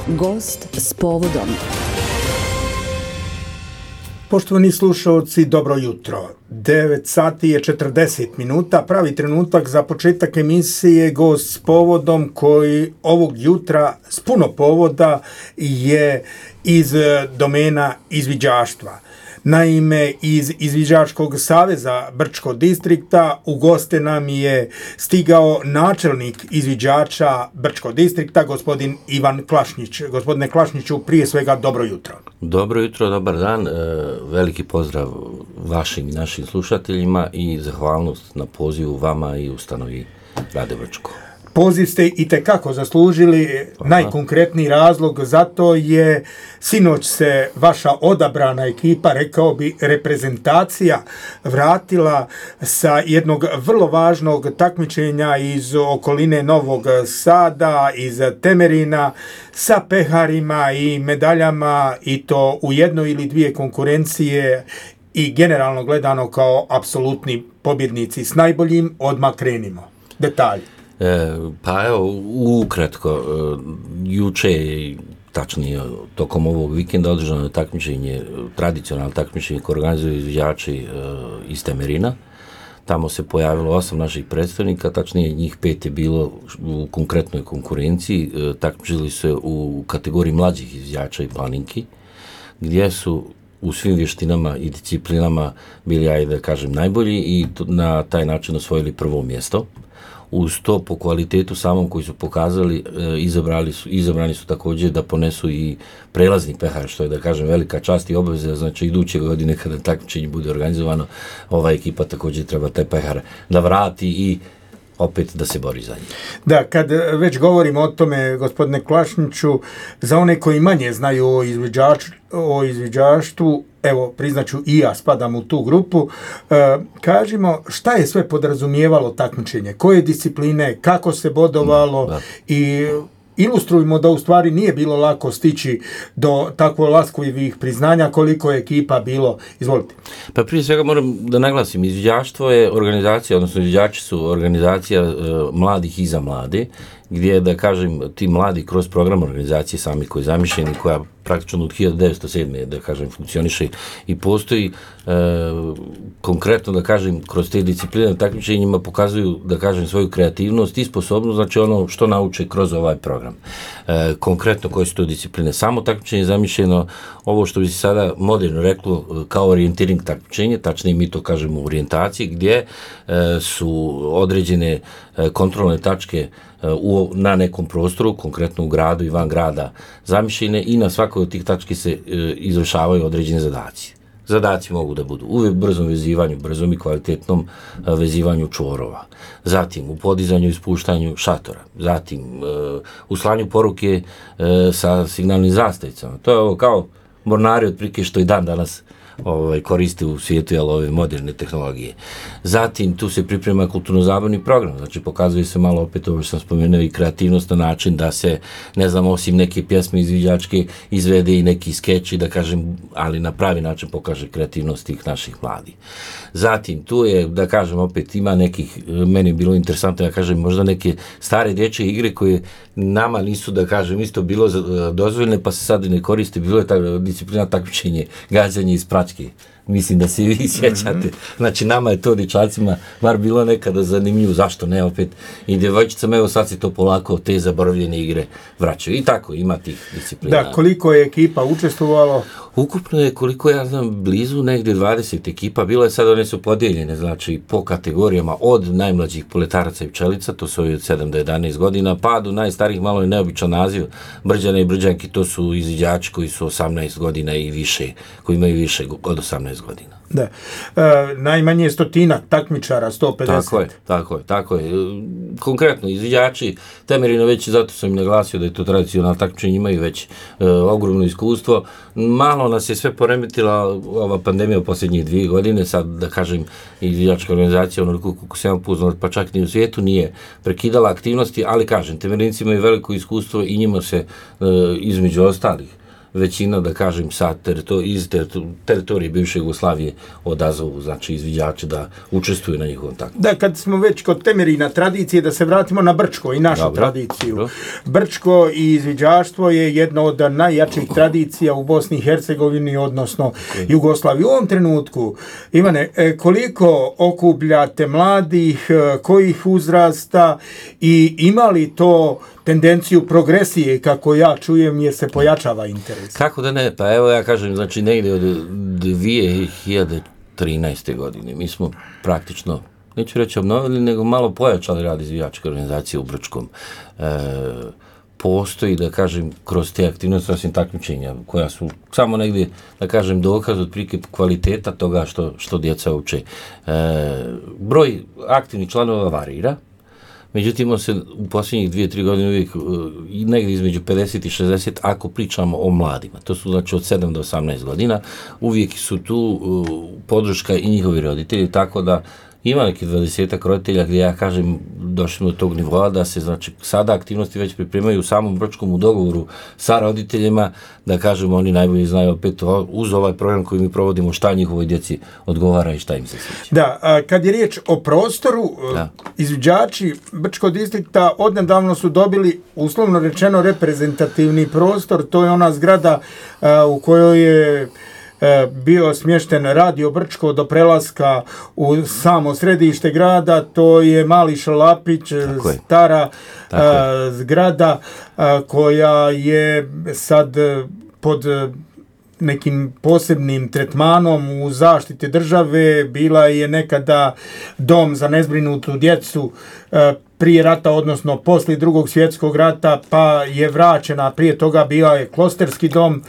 Gost s povodom. Poštovani slušalci, dobro jutro. 9 sati je 40 minuta, pravi trenutak za početak emisije Gost s povodom, koji ovog jutra s puno povoda je iz domena izviđaštva. Naime, iz Izviđačkog saveza Brčkog distrikta u goste nam je stigao načelnik izviđača Brčkog distrikta, gospodin Ivan Klašnić. Gospodine Klašniću, prije svega dobro jutro. Dobro jutro, dobar dan, veliki pozdrav vašim i našim slušateljima i zahvalnost na pozivu vama i ustanovi Radio Brčko. Poziv ste itekako zaslužili. Najkonkretniji razlog za to je sinoć se vaša odabrana ekipa, rekao bi reprezentacija, vratila sa jednog vrlo važnog takmičenja iz okoline Novog Sada, iz Temerina, sa peharima i medaljama, i to u jednoj ili dvije konkurencije i generalno gledano kao apsolutni pobjednici. S najboljim odmah krenimo. Detalji. Pa evo, ukratko, juče, tačnije tokom ovog vikenda, održano je takmičenje, tradicionalno takmičenje koje organizuju izviđači iz Temerina. Tamo se pojavilo 8 naših predstavnika, tačnije njih 5 je bilo u konkretnoj konkurenciji, takmičili se u kategoriji mlađih izviđača i planinki, gdje su u svim vještinama i disciplinama bili, ajde da kažem, najbolji i na taj način osvojili prvo mjesto. Uz to, po kvalitetu samom koji su pokazali, izabrani su također da ponesu i prelazni pehar, što je, da kažem, velika čast i obaveza. Znači, iduće godine kada takmičenje bude organizovano, ova ekipa također treba taj pehar da vrati i opet da se bori za njih. Da, kad već govorimo o tome, gospodine Klašniću, za one koji manje znaju o izviđaštvu, evo, priznaću i ja spadam u tu grupu, kažimo šta je sve podrazumijevalo takmičenje, koje discipline, kako se bodovalo i ilustrujmo da u stvari nije bilo lako stići do tako laskovih priznanja, koliko je ekipa bilo. Izvolite. Pa prije svega moram da naglasim, izviđaštvo je organizacija, odnosno izviđači su organizacija mladih i za mlade, gdje, da kažem, ti mladi kroz program organizacije sami koji je zamišljeni, koja praktično od 1907. da kažem funkcioniše i postoji, konkretno, da kažem, kroz te discipline na takmičenjima pokazuju, da kažem, svoju kreativnost i sposobnost, znači ono što nauče kroz ovaj program. Konkretno koje su to discipline? Samo takmičenje je zamišljeno, ovo što bi se sada moderno reklo kao orijentiring takmičenje, tačnije mi to kažemo u orijentaciji, gdje su određene kontrolne tačke na nekom prostoru, konkretno u gradu i van grada zamišljene, i na svakoj od tih tački se izvršavaju određene zadaci. Zadaci mogu da budu u brzom vezivanju, brzom i kvalitetnom vezivanju čvorova, zatim u podizanju i spuštanju šatora, zatim u slanju poruke sa signalnim zastavicama. To je ovo kao mornari otprilike što i dan danas koriste u svijetu, jel, ove moderne tehnologije. Zatim tu se priprema kulturno-zabavni program, znači pokazuje se malo, opet ovo što sam spomenuo, i kreativnost na način da se, ne znam, osim neke pjesme izviđačke izvede i neki skeči, da kažem, ali na pravi način pokaže kreativnost tih naših mladih. Zatim tu je, da kažem, opet ima nekih, meni je bilo interesantno, da kažem, možda neke stare dječje igre koje nama nisu, da kažem, isto bilo dozvoljene, pa se sad ne koriste. Bilo je ta disciplina takmičenje, gađanje iz pračke. Mislim da se i vi sjećate. Znači, nama je to dječacima bar bilo nekada zanimljivo, zašto ne opet. I djevojčicama, evo sad se to polako, te zaboravljene igre vraćaju. I tako, ima tih disciplina. Da, koliko je ekipa učestvovalo? Ukupno je, koliko ja znam, blizu negdje 20 ekipa. Bilo je sad, one su podijeljene, znači, po kategorijama od najmlađih poletaraca i pčelica, to su od 7 do 11 godina, pa do najstarijih, malo je neobičan naziv, Brđane i Brđanki, to su izviđači koji su 18 godina i više, koji imaju više od 18 godina. Da. Najmanje 100 takmičara, 150. Tako je. Konkretno, izviđači Temerina, već zato sam im naglasio da je to tradicionalno takmičenje, imaju već ogromno iskustvo. Malo nas je sve poremetila ova pandemija u posljednjih 2 godine, sad, da kažem, izviđačka organizacija, onoliko kako se ja upoznao, pa čak ni u svijetu nije prekidala aktivnosti, ali kažem, Temerinci imaju veliko iskustvo i njima se, između ostalih, većina, da kažem, iz teritorije bivše Jugoslavije odazovu, znači izviđače da učestvuju na njihovom takvu. Da, kad smo već kod temeljina tradicije, da se vratimo na Brčko i našu tradiciju. Dobro. Brčko i izviđaštvo je jedno od najjačih tradicija u Bosni i Hercegovini, odnosno Jugoslaviji. U ovom trenutku, Ivane, koliko okupljate mladih, kojih uzrasta i ima li to tendenciju progresije, kako ja čujem, jer se pojačava interes? Kako da ne? Pa evo ja kažem, znači negdje od 2013. godine mi smo praktično, neću reći obnovili, nego malo pojačali rad izviđačke organizacije u Brčkom. Postoji, da kažem, kroz te aktivnosti osim takmičenja, koja su samo negdje, da kažem, dokaz otprilike kvaliteta toga što djeca uče. Broj aktivnih članova varira, međutim, on se u posljednjih 2-3 godine uvijek negdje između 50 i 60, ako pričamo o mladima. To su znači od 7 do 18 godina. Uvijek su tu podrška i njihovi roditelji, tako da ima neki 20 roditelja gdje ja kažem došli do tog nivoa da se znači sada aktivnosti već pripremaju u samom Brčkom u dogovoru sa roditeljima, da kažemo oni najbolje znaju opet uz ovaj program koji mi provodimo šta njihovoj djeci odgovara i šta im se sviđa. Da, kad je riječ o prostoru, izviđači Brčkog distrikta odnedavno su dobili, uslovno rečeno, reprezentativni prostor. To je ona zgrada u kojoj je bio smješten Radio Brčko do prelaska u samo središte grada. To je Mali Šalapić, stara zgrada koja je sad pod nekim posebnim tretmanom u zaštiti države. Bila je nekada dom za nezbrinutu djecu prije rata, odnosno poslije Drugog svjetskog rata, pa je vraćena, prije toga bio je klosterski dom,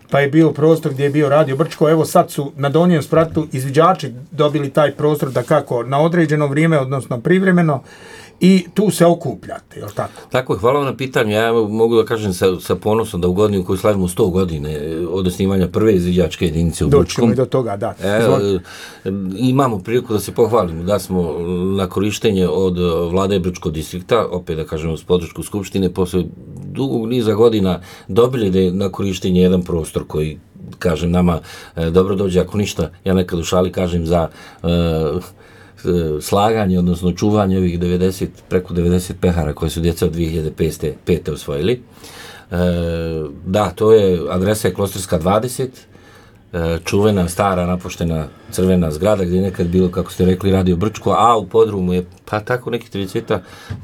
pa je bio prostor gdje je bio Radio Brčko. Evo sad su na Donjem spratu izviđači dobili taj prostor da kako na određeno vrijeme, odnosno privremeno, i tu se okupljate, je li tako? Tako je, hvala vam na pitanju. Ja mogu da kažem sa ponosom da u godini u kojoj slavimo 100 godine od osnivanja prve izviđačke jedinice u Brčkom. Doćemo i do toga, da. Imamo priliku da se pohvalimo da smo na korištenje od vlade Brčkog distrikta, opet da kažemo s podršku Skupštine, posle dugog niza godina dobili da je na korištenje jedan prostor koji, kažem, nama dobro dođe, ako ništa, ja nekad u šali kažem za slaganje, odnosno čuvanje ovih preko 90 pehara koje su djeca od 2005. osvojili. Da, to je, adresa je Klosterska 20, čuvena, stara, napuštena crvena zgrada gdje je nekad bilo, kako ste rekli, Radio Brčko, a u podrumu je, pa tako neki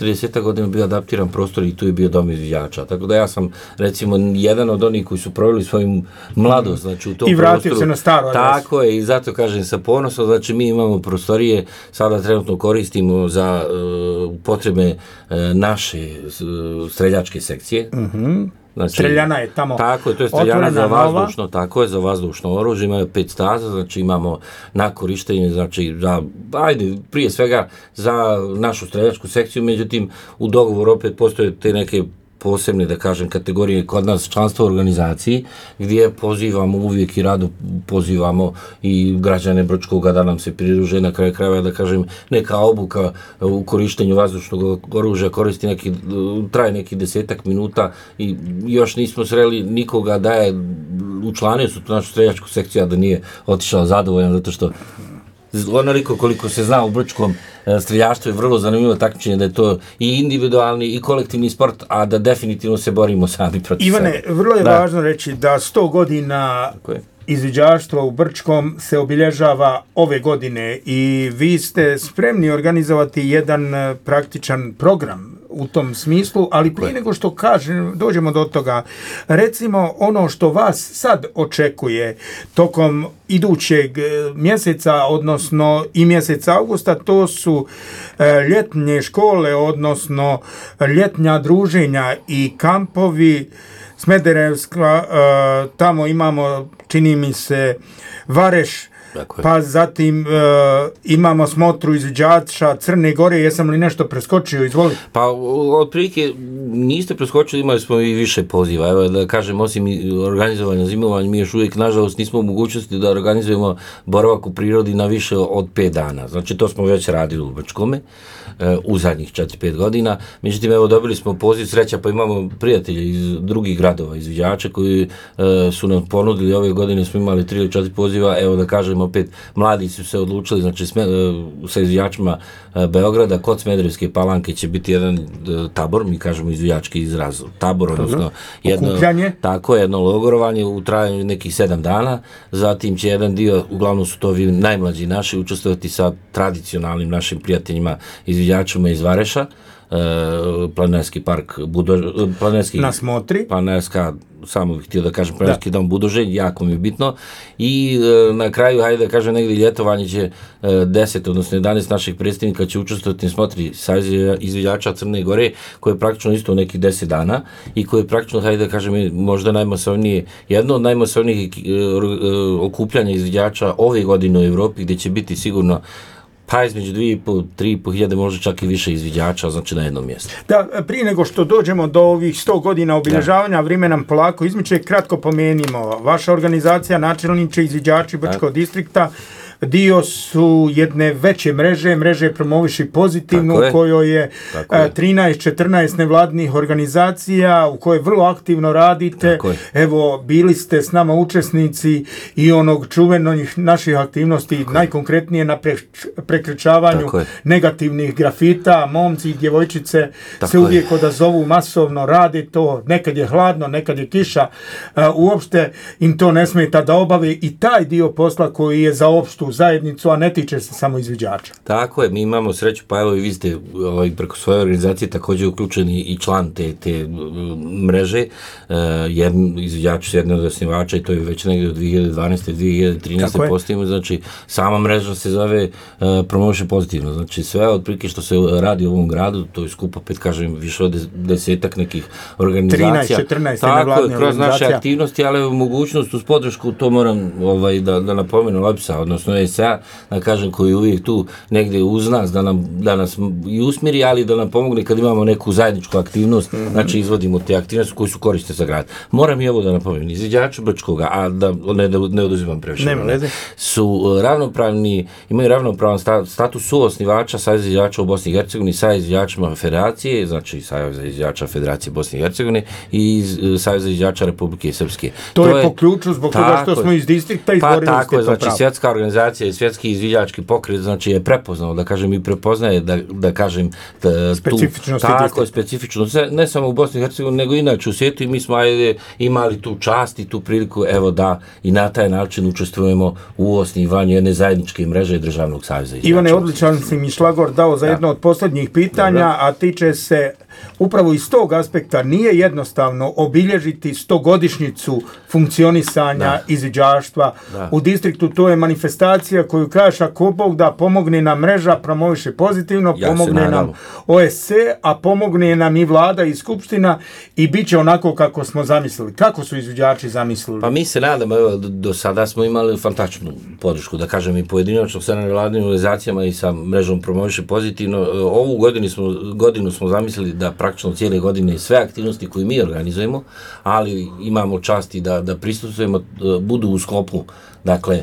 30 godina bio adaptiran prostor i tu je bio dom izviđača. Tako da ja sam, recimo, jedan od onih koji su proveli svoju mladost, znači u tom prostoru. I vratio se na staru adresu. Tako je, i zato kažem sa ponosom, znači mi imamo prostorije, sada trenutno koristimo za potrebe naše streljačke sekcije. Znači, streljana je tamo. Tako je, to je streljana za vazdušno, tako je, za vazdušno oružje, imaju 5 staza, znači imamo na korištenje, znači prije svega za našu streljačku sekciju, međutim u dogovoru opet postoje te neke posebne, da kažem, kategorije kod nas članstva u organizaciji, gdje pozivamo uvijek i rado pozivamo i građane Brčkoga da nam se pridruže, na kraju krajeva, da kažem, neka obuka u korištenju vazdušnog oružja traje neki 10 minuta i još nismo sreli nikoga da je učlanio su tu našu streljačku sekciju, a da nije otišao zadovoljan, zato što onoliko koliko se zna u Brčkom streljaštvo je vrlo zanimljivo takmičenje, da je to i individualni i kolektivni sport, a da definitivno se borimo sami protiv sebe. Ivane, vrlo je važno reći da 100 godina izviđaštva u Brčkom se obilježava ove godine i vi ste spremni organizovati jedan praktičan program u tom smislu, ali prije nego što dođemo do toga, recimo ono što vas sad očekuje tokom idućeg mjeseca, odnosno i mjeseca augusta, to su ljetne škole, odnosno ljetnja druženja i kampovi. Smederevska, tamo imamo, čini mi se, Vareš, pa zatim imamo smotru izviđača Crne Gore, jesam li nešto preskočio, izvoli. Pa otprilike niste preskočili, imali smo i više poziva, evo da kažem, osim organizovanja zimovanja, mi još uvijek nažalost nismo u mogućnosti da organizujemo boravak u prirodi na više od 5 dana, znači to smo već radili u Brčkome u zadnjih 4-5 godina, međutim evo dobili smo poziv, sreća pa imamo prijatelje iz drugih gradova, izviđača koji su nam ponudili, ove godine smo imali 3 ili 4 poziva, evo da kažem opet, mladi su se odlučili, znači sa izviđačima Beograda, kod Smederevske Palanke će biti jedan tabor, mi kažemo izviđački izraz, tabor, odnosno jedno logorovanje u trajanju nekih 7 dana, zatim će jedan dio, uglavnom su to najmlađi naši, učestvovati sa tradicionalnim našim prijateljima izviđačima iz Vareša, Planinarski park na smotri. Planinarska, samo bih htio da kažem, Planinarski dom Budoželj, jako mi je bitno. I na kraju, hajde da kažem, negdje ljetovanje će 10, odnosno 11 naših predstavnika će učestvovati na smotri Saveza izviđača Crne Gore, koje je praktično isto nekih 10 dana i koje je praktično, hajde da kažem, možda najmasovnije, jedno od najmasovnijih okupljanja izviđača ove godine u Evropi, gdje će biti sigurno pa između 2.500-3.500 hiljade, možda čak i više izviđača, znači na jednom mjestu. Da, prije nego što dođemo do ovih 100 godina obilježavanja, vrijeme nam polako izmiče, kratko pomenimo. Vaša organizacija, načelniče izviđači Brčkog distrikta, dio su jedne veće mreže Promoviši pozitivno, u kojoj je 13-14 nevladinih organizacija, u kojoj vrlo aktivno radite. Evo, bili ste s nama učesnici i onog čuvenih naših aktivnosti, najkonkretnije na prekrečavanju negativnih grafita. Momci i djevojčice se uvijek odazovu, masovno rade to, nekad je hladno, nekad je kiša, uopšte im to ne smeta da obave i taj dio posla koji je za opštu zajednicu, a ne tiče se samo izviđača. Tako je, mi imamo sreću, pa evo i vi ste preko svoje organizacije također uključeni i član te mreže, izviđači su jedne od osnivača i to je već negdje od 2012-2013 postavimo, znači sama mreža se zove Promoviši pozitivno, znači sve otprilike što se radi u ovom gradu, to je skupo, opet kažem, više od 10 nekih organizacija. 13-14 tako je, kroz naše aktivnosti, ali u mogućnost uz podršku, to moram da napomenem, OEBS-a, odnosno ESA, da kažem, koji je uvijek tu negdje uz nas, da nas i usmiri, ali da nam pomogne kad imamo neku zajedničku aktivnost, znači izvodimo te aktivnosti koji su korisne za grad. Moram i ovo da napomenem, izviđači Brčkoga, a da ne oduzimam previše, su ravnopravni, imaju ravnopravan status suosnivača Saveza izviđača u Bosni i Hercegovini sa izviđačima Federacije, znači Saveza izviđača Federacije Bosne i Hercegovine i Saveza izviđača Republike Srpske. To je po ključu zbog toga što smo iz distrikta izborili ste to pravo. Znači svjetska organizacija i svjetski izviđački pokret, znači je prepoznao, da kažem, i prepoznaje, da kažem, specifičnost, ne samo u Bosni i Hercegovini, nego inače u svijetu, i mi smo imali tu čast i tu priliku, evo da i na taj način učestvujemo u osnivanju jedne zajedničke mreže Državnog saveza izviđača. Ivane, odličan si mi šlagor dao za jedno od posljednjih pitanja, a tiče se upravo iz tog aspekta, nije jednostavno obilježiti 100-godišnjicu funkcionisanja izviđaštva u distriktu. To je manifestacija koju kažeš, ako Bog da pomogne nam mreža Promoviše pozitivno, pomogne nam OSC, a pomogne nam i vlada i skupština i bit će onako kako smo zamislili. Kako su izviđači zamislili? Pa mi se nadamo, evo, do sada smo imali fantastičnu podršku, da kažem, i pojedinačno sa nevladnim organizacijama i sa mrežom Promoviše pozitivno. Ovu godinu smo zamislili da praktično cijele godine sve aktivnosti koje mi organizujemo, ali imamo časti da prisustvujemo, budu u sklopu, dakle,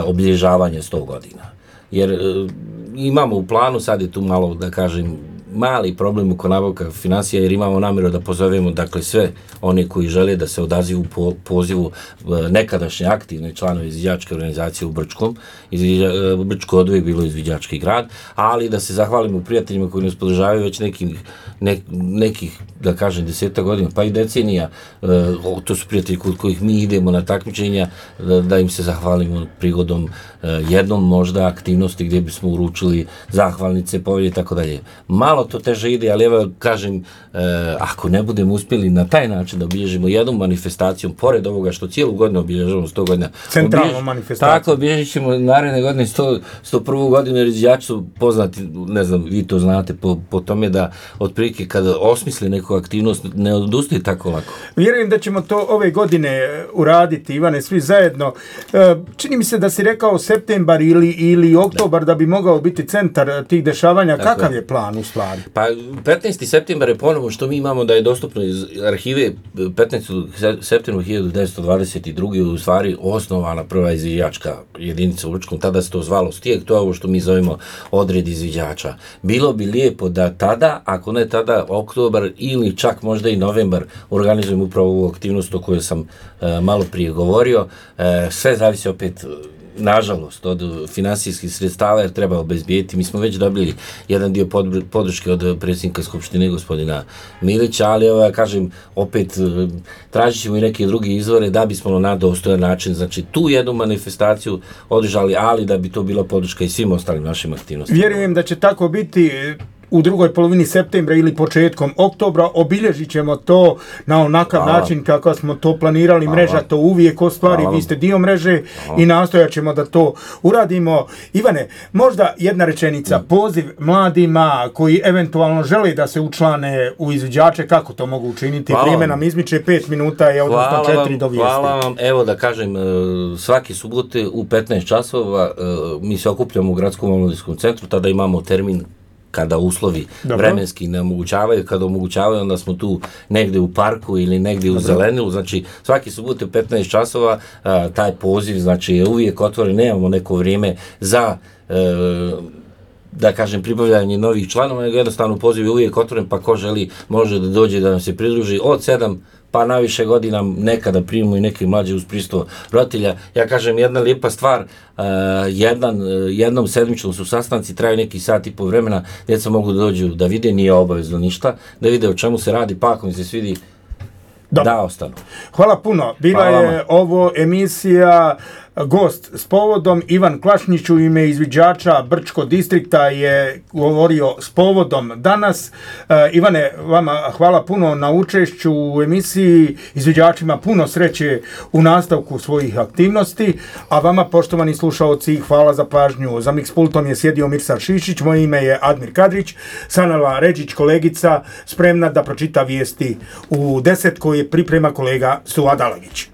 obilježavanja 100 godina. Jer imamo u planu, sad je tu malo, da kažem, mali problem oko nabavka financija, jer imamo namjeru da pozovemo, dakle, sve one koji žele da se odazivu po pozivu nekadašnje aktivne članove izviđačke organizacije u Brčkom. Brčko od uvijek bilo izviđački grad, ali da se zahvalimo prijateljima koji nas podržavaju već nekih, da kažem, 10 godina, pa i decenija. To su prijatelji kod kojih mi idemo na takmičenja, da im se zahvalimo prigodom jednom možda aktivnosti gdje bismo uručili zahvalnice, povelje i tako dalje. Malo malo to teže ide, ali evo kažem, ako ne budemo uspjeli na taj način da obilježimo jednu manifestaciju, pored ovoga što cijelu godinu obilježavamo 100 godina, centralnu manifestaciju. Tako, obilježit ćemo naredne godine 101. godinu, jer izviđači su poznati, ne znam, vi to znate, po tome da otprilike kada osmisle neku aktivnost, ne odustaju tako lako. Vjerujem da ćemo to ove godine uraditi, Ivane, svi zajedno. Čini mi se da si rekao septembar ili oktobar da bi mogao biti centar tih dešavanja. Tako. Kakav je plan u stvari? Pa 15. septembar je ponovo što mi imamo da je dostupno iz arhive 15. septembra 1922. u stvari osnovana prva izviđačka jedinica u Lučkom, tada se to zvalo Stijeg, to je ovo što mi zovemo odred izviđača. Bilo bi lijepo da tada, ako ne tada, oktobar ili čak možda i novembar organizujemo upravo ovu aktivnost o kojoj sam malo prije govorio. Sve zavisi opet, nažalost, od finansijskih sredstava, jer treba obezbijeti. Mi smo već dobili jedan dio podrške od predsjednika Skupštine, gospodina Milića, ali ja kažem, opet tražit ćemo i neke druge izvore da bismo na dostojan način, znači tu jednu manifestaciju održali, ali da bi to bila podrška i svim ostalim našim aktivnostima. Vjerujem da će tako biti. U drugoj polovini septembra ili početkom oktobra obilježit ćemo to na onakav način kako smo to planirali. Mreža to uvijek ostvari, vi ste dio mreže i nastojat ćemo da to uradimo. Ivane, možda jedna rečenica, poziv mladima koji eventualno žele da se učlane u izviđače, kako to mogu učiniti? Vrijeme nam izmiče 5 minuta, je odnosno 4 do vijesti. Hvala vam, evo da kažem, svaki subote u 15 časova mi se okupljamo u Gradskom omladinskom centru, tada imamo termin kada uslovi vremenski ne omogućavaju, kada omogućavaju, onda smo tu negdje u parku ili negdje u zelenilu, znači svaki subot u 15 časova taj poziv, znači je uvijek otvoren, nemamo neko vrijeme za da kažem pribavljanje novih članova, nego jednostavno poziv je uvijek otvoren, pa ko želi može da dođe da nam se pridruži od 7 pa naviše godina, nekada primimo i neke mlađe uz prisustvo roditelja. Ja kažem, jedna lijepa stvar, jednom sedmično su sastanci, traju neki sat i po vremena, djeca mogu da dođu da vide, nije obavezno ništa, da vide o čemu se radi, pa ako mi se svidi, da ostanu. Hvala puno. Bila je ovo emisija gost s povodom. Ivan Klašnić u ime izviđača Brčko distrikta je govorio s povodom danas. Ivane, vama hvala puno na učešću u emisiji. Izviđačima puno sreće u nastavku svojih aktivnosti, a vama, poštovani slušaoci, hvala za pažnju. Za mix pultom je sjedio Mirsad Šišić, moje ime je Admir Kadrić, Sanela Ređić, kolegica, spremna da pročita vijesti u 10 koje priprema kolega Suad Alagić.